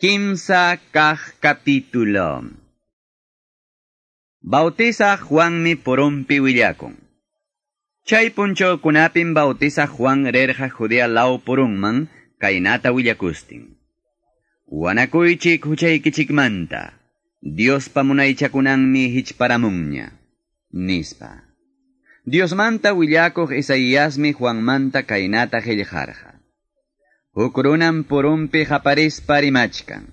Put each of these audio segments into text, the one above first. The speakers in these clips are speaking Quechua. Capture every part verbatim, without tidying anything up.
Kimsa kaq capítulo. Bautiza Juanmi purunpi willakun. Chay punchawkunapim bautiza Juan rirqa Judea law purunman kaynata willakustin. Wanakuychik huchaykichikmanta, Diospa munaychakunanmi hichparamunña, nispa. Diosmanta willakuq Isaiasmi Juanmanta kaynata qillqarqa. Huk runam purunpi qaparispa rimachkan.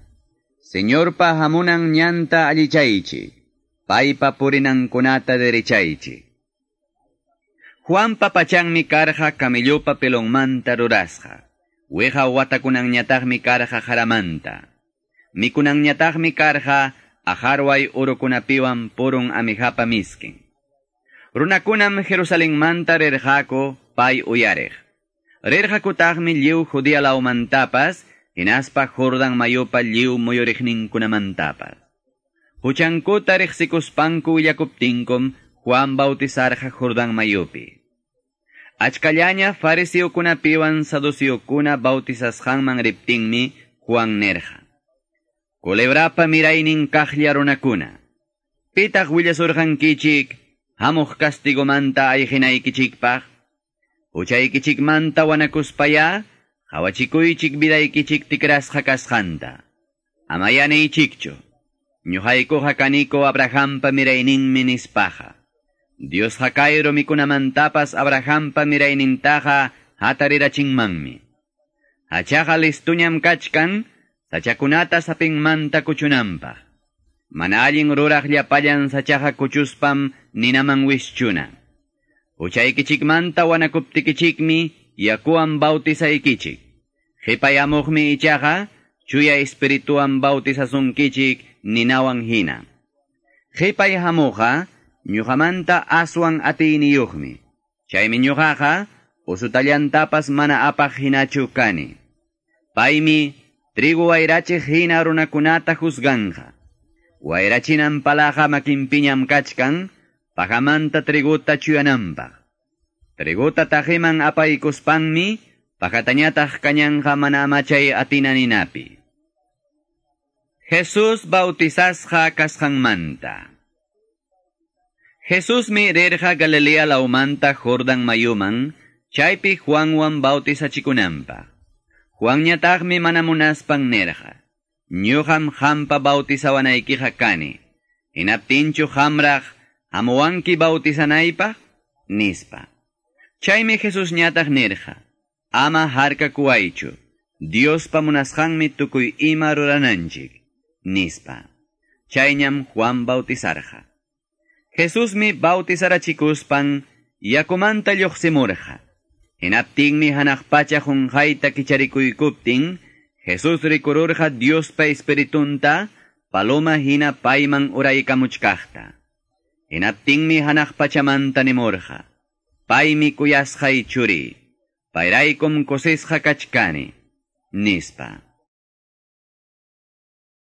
Señorpa hamunan ñanta allichaychik, paypa purinankunata derechaychik. Juanpa pachanmi karqa camellopa pelonmanta rurasqa. Wiqa watakunanñataqmi karqa qaramanta. Mikunanñataqmi karqa aqarway urukunapiwan purun amijapa miskin. Runakunam Jerusalenmanta rirqaku pay uyariq. Rirqakutaqmi lliw Judea lawmantapas, hinaspa Jordan mayupa lliw muyuriqninkunamantapas. Huchankuta riqsikuspanku willakuptinkum Juan bautizarqa Jordan mayupi. Achkallaña fariseokunapiwan saduceokuna bautizasqanman riptinmi Juan nirqa: Culebrapa miraynin kaqlla runakuna, pitaq willasurqankichik hamuq castigomanta ayqinaykichikpaq? Huchaykichikmanta wanakuspaya, qawachikuychik vidaykichik tikrasqa kasqanta. Amaya niychikchu, ñuqaykuqa kaniko Abrahampa mirayninmi nispaqa. Diosqa kay rumikunamantapas Abrahampa miraynintaqa hatarirachinmanmi. Hachaqa listuñam kachkan, sachakunata sapinmanta kuchunanpaq. Mana allin ruraq llapallan sachaqa kuchuspam ninaman wischuna. Huchaykichikmanta wanakuptikichikmi yakuwan bautizaykichik. Qhipayamuqmi ichaqa chuya espirituwan bautizasunkichik ninawan hina. Qhipay hamuqqa ñuqamanta aswan atiyniyuqmi. Chaymi ñuqaqa usutallantapas mana apaq hinachu kani. Paymi trigo wayrachiq hina runakunata juzganqa. Wayrachinan palaqa makinpiñam kachkan, pajamanta triguta chuyananpaq. Triguta taqiman apaykuspanmi, pajatañataq kañanqa mana amachay atina ninapi. Jesús bautizasqa kasqanmanta. Jesusmi rirqa Galilea lawmanta Jordan mayuman, chaypi Juanwan bautizachikunanpaq. Juanñataqmi mana munaspan nirqa: Ñuqam qampa bautizawanaykiqa kani. Hinaptinchu qamraq hamuwanki bautizanaypaq? Nispa. Chaymi Jesusñataq nirqa: Ama harkakuwaychu, Diospa munasqanmi tukuy ima rurananchik, nispa. Chayñam Juan bautizarqa. Jesusmi bautizarachikuspan yakumanta lluqsimurqa. Hinaptinmi hanaq pacha qunqayta kicharikuykuptin, Jesús rikururqa Diospa espiritunta paloma hina payman uraykamuchkaqta. Hinaptinmi hanaq pachamanta nimurqa: Paymi kuyasqay churiy, payraykum kusisqa kachkani, nispa.